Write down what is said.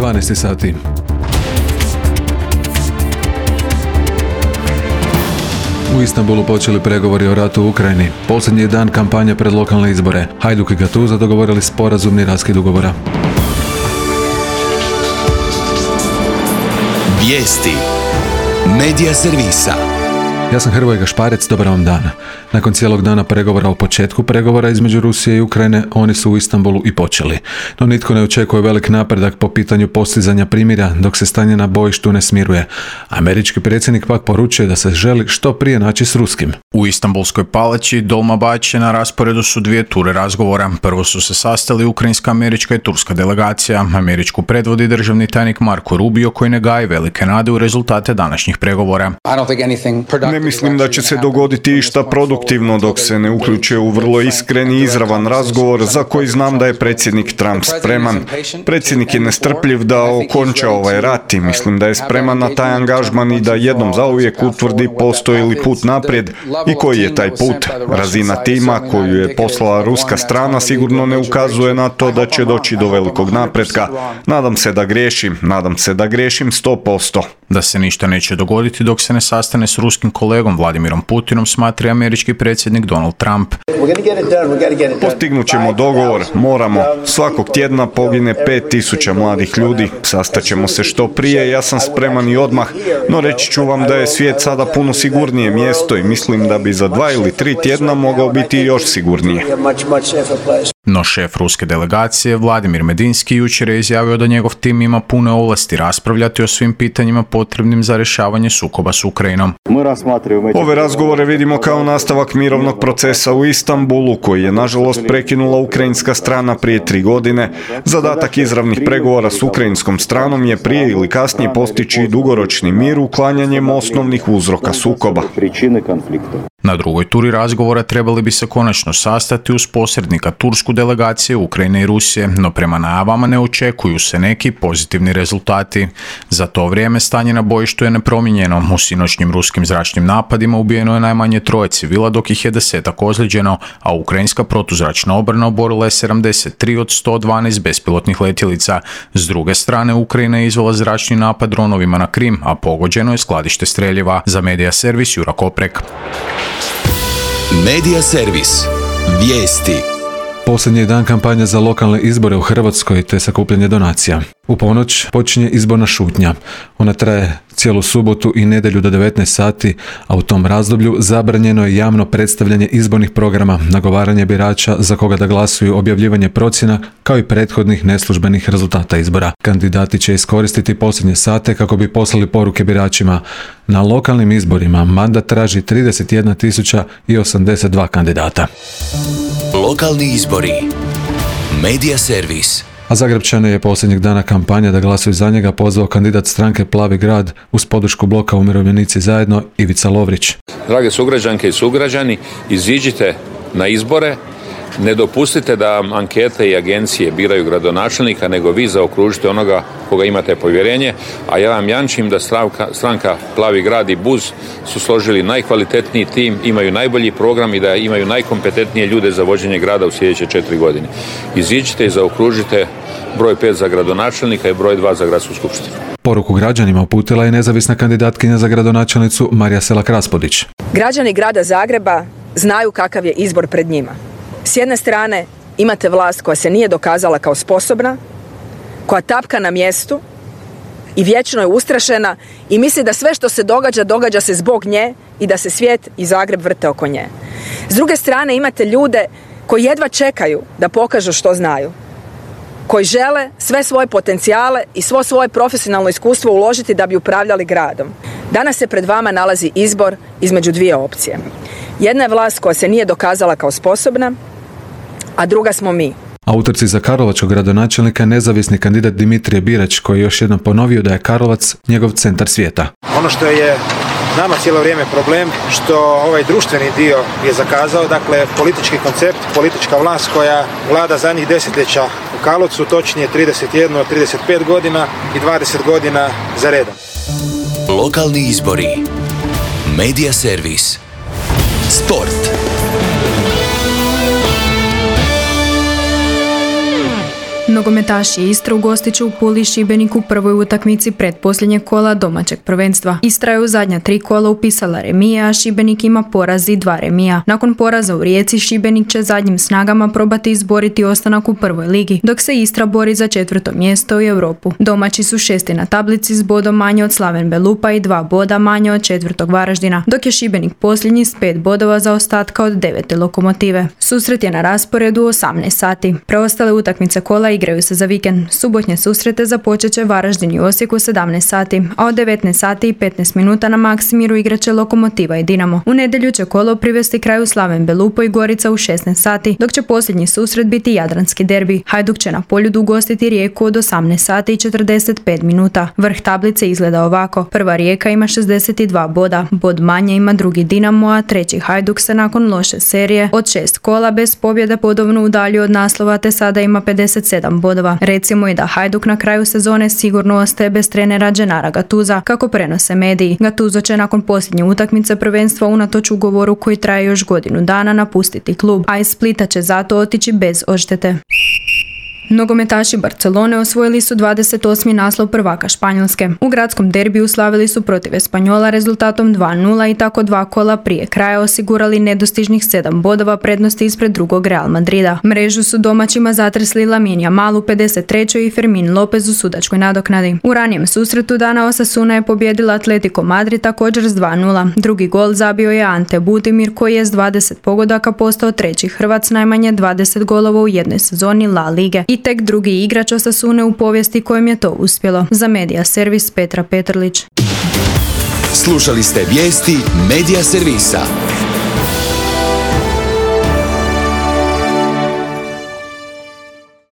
12 sati. U Istanbulu počeli pregovori o ratu u Ukrajini. Posljednji dan kampanje pred lokalne izbore. Hajduk i Gattuso dogovorili sporazumni raskid ugovora. Vijesti Medija servisa. Ja sam Hrvoje Gašparec, dobar vam dan. Nakon cijelog dana pregovora o početku pregovora između Rusije i Ukrajine, oni su u Istanbulu i počeli. No nitko ne očekuje velik napredak po pitanju postizanja primirja dok se stanje na bojištu ne smiruje. Američki predsjednik pak poručuje da se želi što prije naći s ruskim. U Istanbulskoj palači Dolmabahče na rasporedu su dvije ture razgovora. Prvo su se sastali ukrajinska, američka i turska delegacija. Američku predvodi državni tajnik Marko Rubio koji ne gaji velike nade u rezultate današnjih pregovora. Ne mislim da će se dogoditi išta produktivno dok se ne uključe u vrlo iskren i izravan razgovor za koji znam da je predsjednik Trump spreman. Predsjednik je nestrpljiv da okonča ovaj rat i mislim da je spreman na taj angažman i da jednom zauvijek utvrdi postoji li put naprijed i koji je taj put. Razina tima koju je poslala ruska strana sigurno ne ukazuje na to da će doći do velikog napretka. Nadam se da griješim 100%. Da se ništa neće dogoditi dok se ne sastane s ruskim kolegom Vladimirom Putinom, smatra američki predsjednik Donald Trump. Postignut ćemo dogovor, moramo. Svakog tjedna pogine 5000 mladih ljudi. Sastaćemo se što prije, ja sam spreman i odmah, no reći ću vam da je svijet sada puno sigurnije mjesto i mislim da bi za 2 ili 3 tjedna mogao biti još sigurnije. No šef ruske delegacije Vladimir Medinski jučer je izjavio da njegov tim ima pune ovlasti raspravljati o svim pitanjima potrebnim za rješavanje sukoba s Ukrajinom. Ove razgovore vidimo kao nastavak mirovnog procesa u Istanbulu, koji je nažalost prekinula ukrajinska strana prije 3 godine. Zadatak izravnih pregovora s ukrajinskom stranom je prije ili kasnije postići dugoročni mir uklanjanjem osnovnih uzroka sukoba. Na drugoj turi razgovora trebali bi se konačno sastati uz posrednika tursku delegaciju Ukrajine i Rusije, no prema najavama ne očekuju se neki pozitivni rezultati. Za to vrijeme stanje na bojištu je nepromijenjeno. U sinoćnim ruskim zračnim napadima ubijeno je najmanje 3 civila, dok ih je 10 ozlijeđeno, a ukrajinska protuzračna obrana oborila je 73 od 112 bespilotnih letjelica. S druge strane, Ukrajina je izvela zračni napad dronovima na Krim, a pogođeno je skladište streljiva. Za Medija servis Jura Koprek. Medija servis. Vijesti. Posljednji dan kampanje za lokalne izbore u Hrvatskoj te sakupljanje donacija. U ponoć počinje izborna šutnja. Ona traje cijelu subotu i nedjelju do 19 sati, a u tom razdoblju zabranjeno je javno predstavljanje izbornih programa, nagovaranje birača za koga da glasuju, objavljivanje procjena, kao i prethodnih neslužbenih rezultata izbora. Kandidati će iskoristiti posljednje sate kako bi poslali poruke biračima. Na lokalnim izborima mandat traži 31.082 kandidata. Lokalni izbori. Medija servis. A Zagrepčane je posljednjeg dana kampanja da glasuju za njega pozvao kandidat stranke Plavi grad uz podršku bloka Umirovljenici zajedno Ivica Lovrić. Drage sugrađanke i sugrađani, iziđite na izbore, ne dopustite da ankete i agencije biraju gradonačelnika, nego vi zaokružite onoga koga imate povjerenje, a ja vam jamčim da stranka Plavi grad i BUZ su složili najkvalitetniji tim, imaju najbolji program i da imaju najkompetentnije ljude za vođenje grada u sljedeće 4 godine. Iziđite i zaokružite broj 5 za gradonačelnika i broj 2 za gradsku skupštinu. Poruku građanima uputila je nezavisna kandidatkinja za gradonačelnicu Marija Selak-Raspudić. Građani grada Zagreba znaju kakav je izbor pred njima. S jedne strane imate vlast koja se nije dokazala kao sposobna, koja tapka na mjestu i vječno je ustrašena i misli da sve što se događa se zbog nje i da se svijet i Zagreb vrte oko nje. S druge strane imate ljude koji jedva čekaju da pokažu što znaju, koji žele sve svoje potencijale i svo svoje profesionalno iskustvo uložiti da bi upravljali gradom. Danas se pred vama nalazi izbor između dvije opcije. Jedna je vlast koja se nije dokazala kao sposobna, a druga smo mi. A u utrci za karlovačkog gradonačelnika nezavisni kandidat Dimitrije Birač, koji je još jednom ponovio da je Karlovac njegov centar svijeta. Ono što je nama cijelo vrijeme problem, što ovaj društveni dio je zakazao, dakle politički koncept, politička vlast koja vlada zadnjih desetljeća u Karlovcu, točnije 31, 35 godina i 20 godina za redom. Lokalni izbori. Medija servis. Sport. Nogometaši Istre ugostit će u Puli Šibenik u prvoj utakmici pretposljednjeg kola domaćeg prvenstva. Istra je u zadnja 3 kola upisala remija, a Šibenik ima poraz i 2 remija. Nakon poraza u Rijeci, Šibenik će zadnjim snagama probati izboriti ostanak u prvoj ligi, dok se Istra bori za 4. mjesto u Europu. Domaći su 6. na tablici s bodom manje od Slaven Belupa i 2 boda manje od 4. Varaždina, dok je Šibenik posljednji s 5 bodova zaostatka od 9. Lokomotive. Susret je na rasporedu u 18 sati. Preostale utakmice kola igraju se za vikend. Subotnje susrete započet će Varaždin i Osijek u 17 sati, a od 19 sati i 15 minuta na Maksimiru igraće Lokomotiva i Dinamo. U nedjelju će kolo privesti kraju Slaven Belupo i Gorica u 16 sati, dok će posljednji susret biti jadranski derbi. Hajduk će na Poljudu ugostiti Rijeku od 18 sati i 45 minuta. Vrh tablice izgleda ovako. Prva Rijeka ima 62 boda, bod manje ima drugi Dinamo, a treći Hajduk se nakon loše serije od 6 kola bez pobjede bodovno udaljio od naslova te sada ima 57 bodova. Recimo i da Hajduk na kraju sezone sigurno ostaje bez trenera Dženara Gatuza, kako prenose mediji. Gatuzo će nakon posljednje utakmice prvenstva unatoč ugovoru koji traje još godinu dana napustiti klub, a iz Splita će zato otići bez odštete. Nogometaši Barcelone osvojili su 28. naslov prvaka Španjolske. U gradskom derbiju slavili su protiv Espanjola rezultatom 2:0 i tako 2 kola prije kraja osigurali nedostižnih 7 bodova prednosti ispred drugog Real Madrida. Mrežu su domaćima zatresli Lamine Yamal u 53. i Fermin Lopez u sudačkoj nadoknadi. U ranijem susretu dana Osasuna je pobijedila Atletico Madrid također s 2:0. Drugi gol zabio je Ante Budimir koji je s 20 pogodaka postao treći Hrvat s najmanje 20 golova u jednoj sezoni La Lige. I tek drugi igrač Osasune u povijesti kojem je to uspjelo. Za Medija Servis Petra Petrlić. Slušali ste vijesti Medija Servisa.